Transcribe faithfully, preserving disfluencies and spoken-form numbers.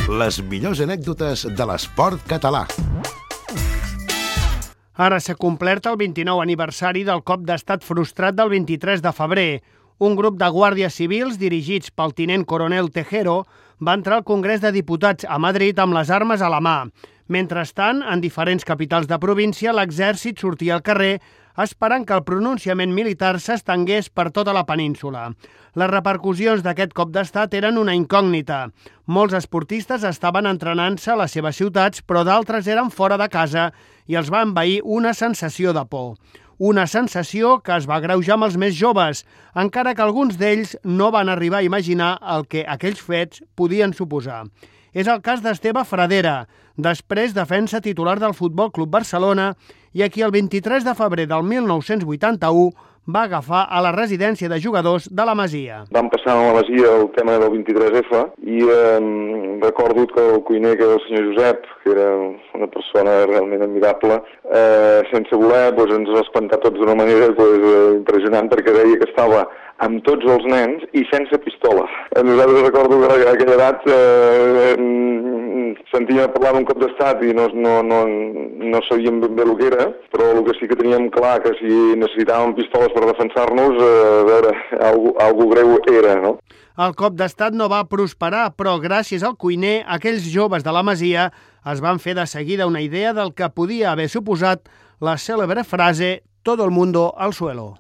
Les millors anècdotes de l'esport català. Ara s'ha complert el vint-i-nou aniversari del cop d'estat frustrat del vint-i-tres de febrer. Un grup de guàrdies civils dirigits pel tinent coronel Tejero va entrar al Congrés de Diputats a Madrid amb les armes a la mà. Mentrestant, en diferents capitals de província, l'exèrcit sortia al carrer esperant que el pronunciament militar s'estengués per tota la península. Les repercussions d'aquest cop d'estat eren una incògnita. Molts esportistes estaven entrenant-se a les seves ciutats, però d'altres eren fora de casa i els va envair una sensació de por. Una sensació que es va agreujar amb els més joves, encara que alguns d'ells no van arribar a imaginar el que aquells fets podien suposar. És el cas d'Esteve Fradera, després defensa titular del Futbol Club Barcelona i a qui el vint-i-tres de febrer del mil nou-cents vuitanta-u va agafar a la residència de jugadors de la Masia. Vam passar a la Masia el tema del vint-i-tres efa i eh, recordo que el cuiner, que era el senyor Josep, que era una persona realment admirable, eh, sense voler doncs, ens va espantar tots d'una manera doncs, eh, impressionant, perquè deia que estava amb tots els nens i sense pistola. Nosaltres recordo que a aquella edat eh, sentíem parlar d'un cop d'estat i no, no, no, no sabíem ben bé el que era, però el que sí que teníem clar que si necessitàvem pistoles per defensar-nos, eh, a veure, algo, algo greu era, no? El cop d'estat no va prosperar, però gràcies al cuiner, aquells joves de la Masia es van fer de seguida una idea del que podia haver suposat la cèlebre frase «Todo el mundo al suelo».